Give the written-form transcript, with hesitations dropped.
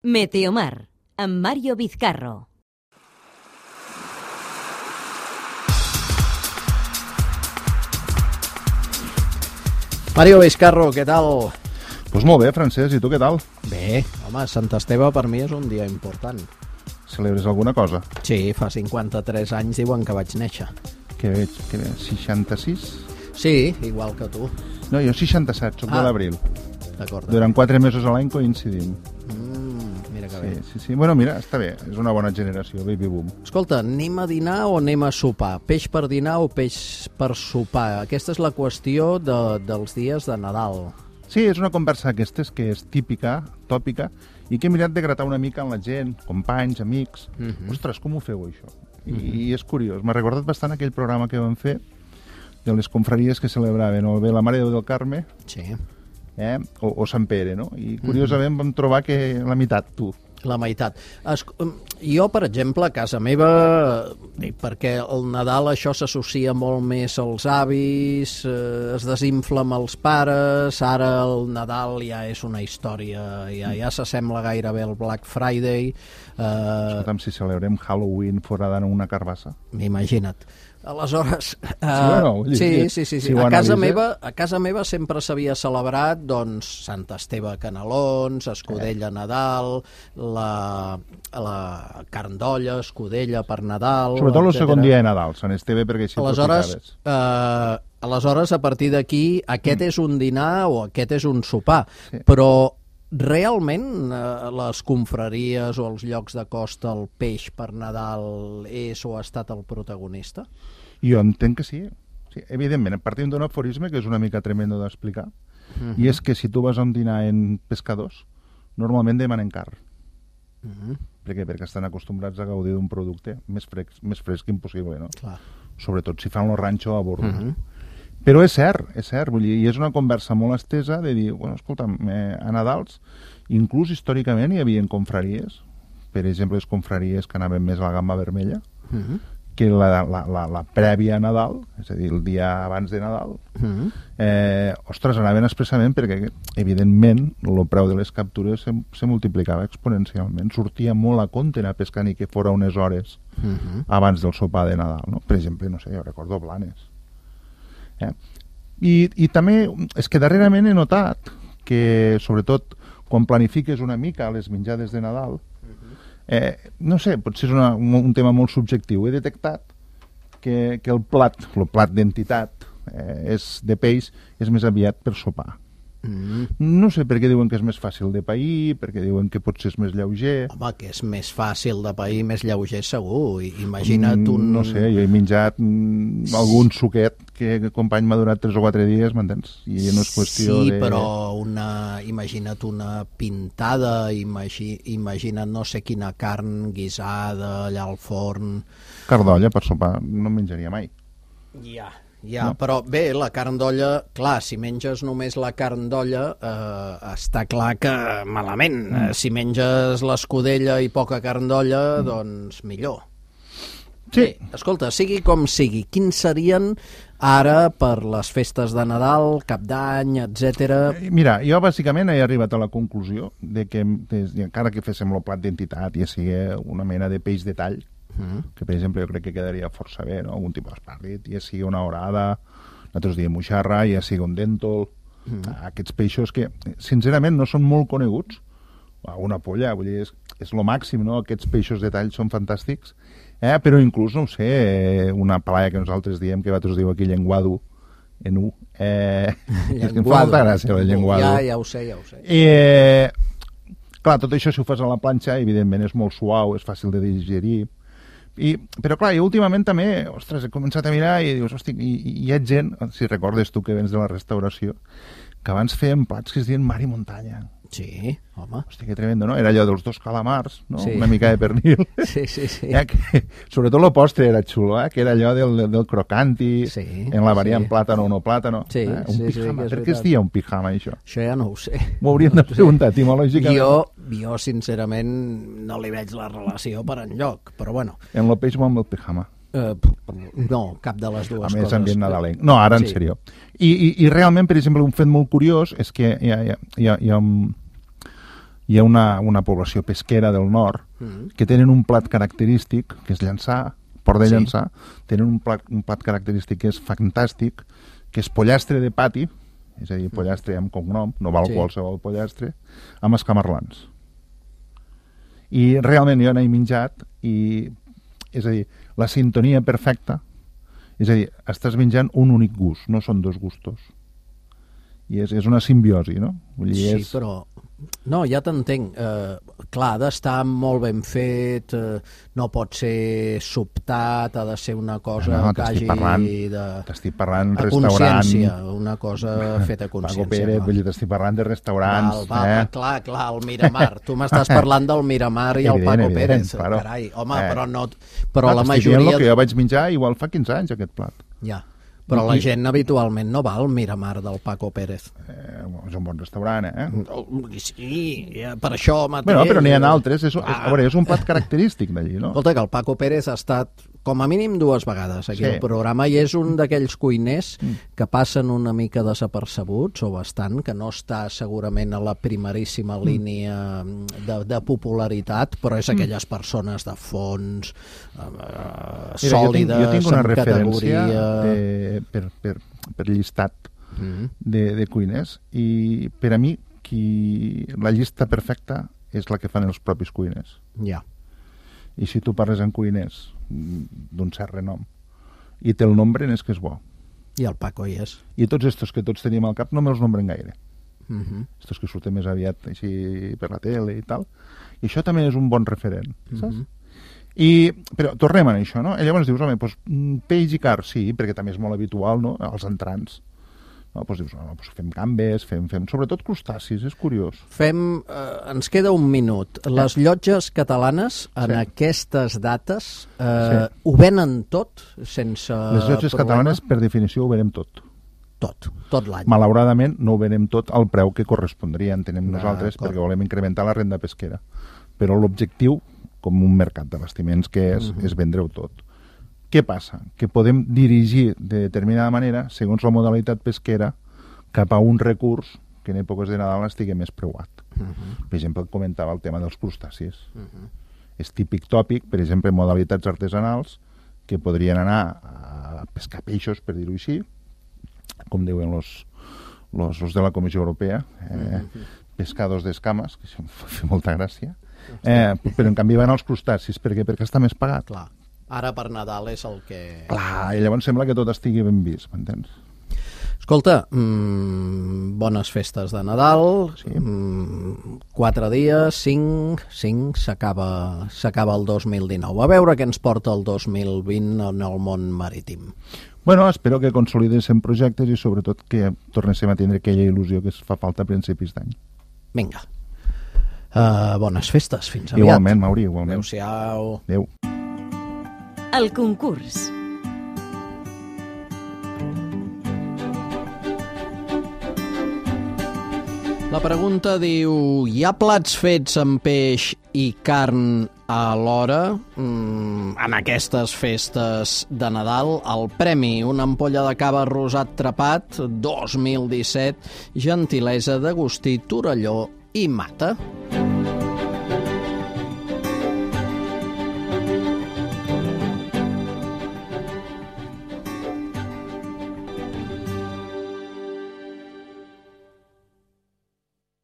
Meteomar, amb Mario Vizcarro. Mario Vizcarro, què tal? Doncs molt bé, Francesc, i tu què tal? Bé, home, Sant Esteve per mi és un dia important. Celebres alguna cosa? Sí, fa 53 anys diuen que vaig néixer. Què veig? 66? Sí, igual que tu. No, jo 67, soc de l'abril. D'acord. Durant 4 mesos a l'any coincidim. Mira que bé. Sí. Bueno, mira, està bé, és una bona generació, baby boom. Escolta, anem a dinar o anem a sopar? Peix per dinar o peix per sopar? Aquesta és la qüestió dels dies de Nadal. Sí, és una conversa aquestes que és típica, tòpica, i que he mirat de gratar una mica amb la gent, companys, amics. Ostres, com ho feu, això? I és curiós. M'ha recordat bastant aquell programa que vam fer de les confraries que celebraven o bé la Mare de Déu del Carme, Sí. O Sant Pere, no? I curiosament vam trobar que la meitat, tu. La meitat. Jo, per exemple, a casa meva, perquè el Nadal això s'associa molt més als avis, es desinfla amb els pares, ara el Nadal ja és una història, ja s'assembla gairebé al Black Friday. Escolta'm, si celebrem Halloween fora d'anar una carbassa. Imagina't. Aleshores, sí. A casa meva sempre s'havia celebrat doncs Sant Esteve Canelons, escudella Nadal, la carn d'olla, escudella per Nadal... Sobretot el segon dia de Nadal, Sant Esteve, perquè així aleshores, a partir d'aquí, aquest és un dinar o aquest és un sopar, però realment les confraries o els llocs de costa, el peix per Nadal és o ha estat el protagonista? Jo entenc que sí. Evidentment, partim d'un aforisme que és una mica tremendo d'explicar, i és que si tu vas a un dinar en pescadors, normalment demanen carn. Per què? Perquè estan acostumbrats a gaudir d'un producte més fresc impossible, no? Clar. Sobretot si fan el ranxo a bordo. Però és cert, vull dir, i és una conversa molt estesa de dir, bueno, escolta'm, a Nadals, inclús històricament hi havia confraries, per exemple, les confraries que anaven més a la gamma vermella, que la prèvia a Nadal, és a dir, el dia abans de Nadal, ostres, anaven expressament perquè, evidentment, el preu de les captures se multiplicava exponencialment. Sortia molt a compte anar a pescar ni que fora unes hores abans del sopar de Nadal, no? Per exemple, no sé, jo recordo Blanes. I també és que darrerament he notat que, sobretot, quan planifiques una mica les menjades de Nadal, no sé, potser és un tema molt subjectiu. He detectat que el plat d'entitat de peix és més aviat per sopar. No sé per què diuen que és més fàcil de pair, perquè diuen que potser és més lleuger. Home, que és més fàcil de pair, més lleuger segur. Imagina't un... No sé, jo he menjat algun suquet que el company m'ha durat 3 o 4 dies, m'entens? I no és qüestió de... Sí, però imagina't una pintada, imagina't no sé quina carn guisada allà al forn... Carn d'olla per sopar no menjaria mai. Ja, no. Però bé, la carn d'olla, clar, si menges només la carn d'olla, està clar que malament. Si menges l'escudella i poca carn d'olla, doncs millor. Sí. Bé, escolta, sigui com sigui, quins serien ara per les festes de Nadal, Cap d'Any, etc. Mira, jo bàsicament he arribat a la conclusió de que, encara que féssim el plat d'entitat, ja sigui una mena de peix de tall, que per exemple jo crec que quedaria força bé, no? Algun tipus d'espàrrit, ja sigui una orada, nosaltres diem moixarra, ja sigui un dèntol, aquests peixos que sincerament no són molt coneguts, una polla, vull dir, és lo màxim, no? Aquests peixos de tall són fantàstics, però inclús, no ho sé, una palaia que nosaltres diem, que vosaltres diu aquí llenguado, en U, és que em fa molta gràcia el llenguado. Ja ho sé. Clar, tot això si ho fas a la planxa, evidentment és molt suau, és fàcil de digerir, però clar, jo últimament també, ostres, he començat a mirar i dius, hosti, hi ha gent, si recordes tu que vens de la restauració, que abans feien plats que es diuen mar i muntanya. Sí, home. Hosti, que tremendo, no? Era allò dels 2 calamars, no? Sí. Una mica de pernil. Sí. Sobretot el postre era xulo, que era allò del crocanti, en la variant plàtano o no plàtano. Sí, un pijama. Per què es dia un pijama, això? Això ja no ho sé. M'ho hauríem de preguntar etimològicament. Jo, sincerament, no li veig la relació per enlloc, però bueno. En el peix o amb el pijama? No, cap de les dues coses. A més, ambient nadalenc. No, ara en sèrio. I realment, per exemple, un fet molt curiós és que hi hi ha una població pesquera del nord que tenen un plat característic, que és llançar, port de llançar, tenen un plat característic que és fantàstic, que és pollastre de pati, és a dir, pollastre amb cognom, no val qualsevol pollastre, amb escamarlans. I realment jo n'he menjat i, és a dir, la sintonia perfecta, és a dir, estàs menjant un únic gust, no són dos gustos. I és una simbiosi, no? Vull dir, sí, però... No, ja t'entenc. Clar, ha d'estar molt ben fet, no pot ser sobtat, ha de ser una cosa que hagi de... T'estic parlant a restaurant... consciència, una cosa feta a consciència. Paco Pérez, vull dir, t'estic parlant de restaurants... Clar, el Miramar. Tu m'estàs parlant del Miramar i el Paco Pérez. Claro. Carai, home, però no... Però la majoria... T'estic dient el que jo vaig menjar igual fa 15 anys, aquest plat. Ja. Però la gent habitualment no va al Miramar del Paco Pérez. És un bon restaurant, Sí, per això mateix... Bueno, però n'hi ha altres. A veure, és un plat característic d'allí, no? Escolta, que el Paco Pérez ha estat com a mínim 2 vegades aquí al programa i és un d'aquells cuiners que passen una mica desapercebuts o bastant, que no està segurament a la primeríssima línia de popularitat, però és aquelles persones de fons sòlides, jo tinc una amb referència categoria... per llistat de cuiners i per a mi la llista perfecta és la que fan els propis cuiners. Ja. I si tu parles amb cuiners d'un cert renom i té el nombre és que és bo. I el Paco hi és. I tots estos que tots tenim al cap no me'ls nombren gaire. Estos que surten més aviat així per la tele i tal. I això també és un bon referent, saps? Però tornem a això, no? I llavors dius, home, peix i car, sí, perquè també és molt habitual, no?, als entrants. No? Dius, fem gambes, fem sobretot crustacis, és curiós. Ens queda un minut. Les llotges catalanes en aquestes dates ho venen tot sense Les llotges catalanes, per definició, ho venem tot. Tot l'any. Malauradament no ho venem tot al preu que correspondria, entenem nosaltres, perquè volem incrementar la renda pesquera. Però l'objectiu, com un mercat d'abastiments que és vendre-ho tot. Què passa? Que podem dirigir de determinada manera, segons la modalitat pesquera, cap a un recurs que en èpoques de Nadal estigui més preuat. Per exemple, comentava el tema dels crustacis. És típic tòpic, per exemple, en modalitats artesanals, que podrien anar a pescar peixos, per dir-ho així, com diuen los de la Comissió Europea, pescados d'escames, que això em fa molta gràcia, però en canvi van als crustacis. Per què? Perquè està més pagat. Clar. Ara per Nadal és el que... Clar, i llavors sembla que tot estigui ben vist, m'entens? Escolta, bones festes de Nadal, 4 dies, 5, s'acaba el 2019. A veure què ens porta el 2020 en el món marítim. Bueno, espero que consolidéssim projectes i sobretot que tornéssim a tindre aquella il·lusió que es fa falta a principis d'any. Vinga. Bones festes, fins aviat. Igualment, Mauri, igualment. Adéu-siau. Adéu. El concurs. La pregunta diu: hi ha plats fets amb peix i carn alhora en aquestes festes de Nadal? El premi, una ampolla de cava rosat trepat 2017, gentilesa d'Agustí Torelló i Mata.